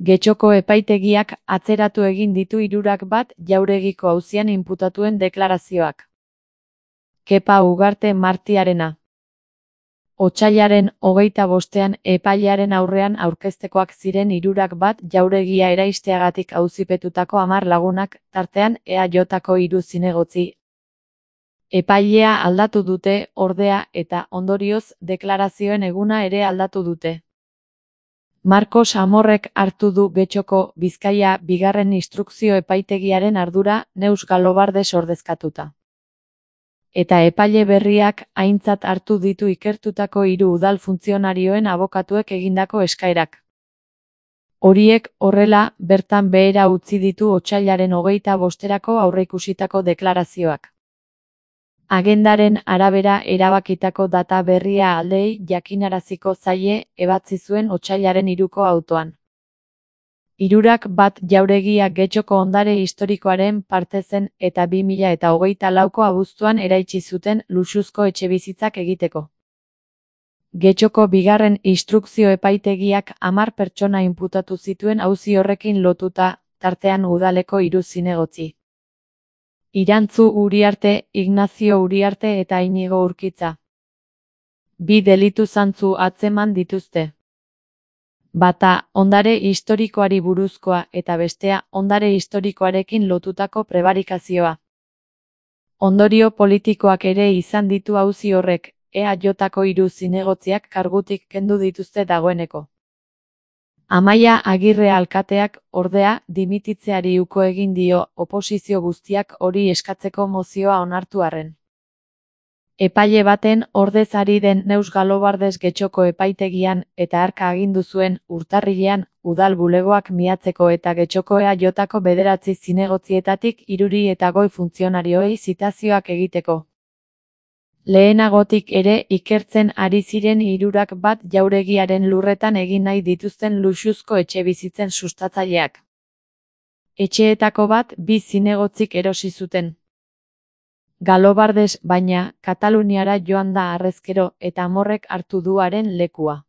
Getxoko epaitegiak atzeratu egin ditu 1 Jauregiko auzian inputatuen deklarazioak. Kepa Ugarte Martiarena. Otsailaren 25ean epailearen aurrean aurkeztekoak ziren 1 Jauregia eraisteagatik auzipetutako 10 lagunak, tartean EAJko 3 zinegotzi. Epailea aldatu dute, ordea, eta ondorioz deklarazioen eguna ere aldatu dute. Markos Amorrek hartu du Getxoko Bizkaia 2. instrukzio epaitegiaren ardura Neus Galobardes ordezkatuta. Eta epaile berriak aintzat hartu ditu ikertutako 3 udal funtzionarioen abokatuek egindako eskaerak. Horiek, horrela, bertan behera utzi ditu otsailaren 25erako aurreikusitako deklarazioak. Agendaren arabera erabakitako data berria aldeei jakinaraziko zaie ebatzi zuen otsailaren 3ko autoan. 1 Jauregia Getxoko ondare historikoaren parte zen eta 2024ko abuztuan eraitsi zuten luxuzko etxebizitzak egiteko. Getxoko 2. instrukzio epaitegiak 10 pertsona inputatu zituen auzi horrekin lotuta, tartean udaleko 3 zinegotzi. Irantzu Uriarte, Ignazio Uriarte eta Inigo Urkitza. 2 delitu zantzu atzeman dituzte. Bata, ondare historikoari buruzkoa eta bestea, ondare historikoarekin lotutako prebarikazioa. Ondorio politikoak ere izan ditu auzi horrek, EAJko 3 zinegotziak kargutik kendu dituzte dagoeneko. Amaia Agirre alkateak, ordea, dimititzeari uko egin dio, oposizio guztiak hori eskatzeko mozioa onartu arren. Epaile baten ordez ari den Neus Galobardes Getxoko epaitegian eta hark agindu zuen, urtarrilean, udal bulegoak miatzeko eta Getxoko EAJko 9 zinegotzietatik 3 eta goi funtzionarioei zitazioak egiteko. Lehenagotik ere ikertzen ari ziren 1 Jauregiaren lurretan egin nahi dituzten luxuzko etxebizitzen sustatzaileak. Etxeetako bat 2 zinegotzik erosi zuten. Galobardes, baina, Kataluniara joan da harrezkero eta Amorrek hartu du haren lekua.